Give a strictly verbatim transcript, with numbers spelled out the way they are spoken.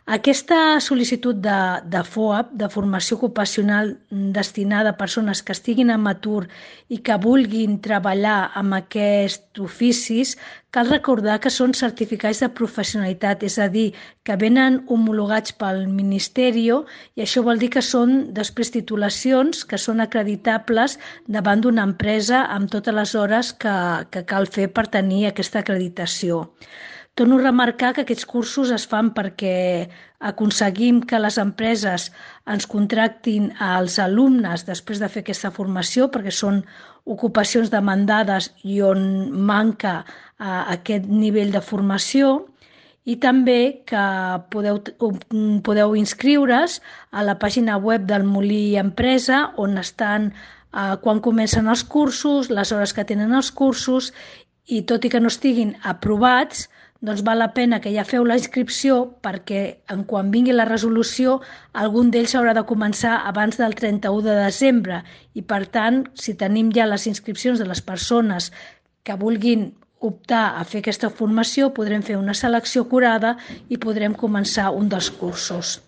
Aquesta sol·licitud de, de FOAP, de formació ocupacional destinada a persones que estiguin en atur i que vulguin treballar amb aquests oficis, cal recordar que són certificats de professionalitat, és a dir, que venen homologats pel Ministeri i això vol dir que són després titulacions que són acreditables davant d'una empresa amb totes les hores que, que cal fer per tenir aquesta acreditació. Torno a remarcar que aquests cursos es fan perquè aconseguim que les empreses ens contractin als alumnes després de fer aquesta formació, perquè són ocupacions demandades i on manca eh, aquest nivell de formació, i també que podeu, podeu inscriure's a la pàgina web del Molí Empresa, on estan eh, quan comencen els cursos, les hores que tenen els cursos, i tot i que no estiguin aprovats, doncs val la pena que ja feu la inscripció perquè en quan vingui la resolució algun d'ells haurà de començar abans del trenta-u de desembre i per tant, si tenim ja les inscripcions de les persones que vulguin optar a fer aquesta formació, podrem fer una selecció acurada i podrem començar un dels cursos.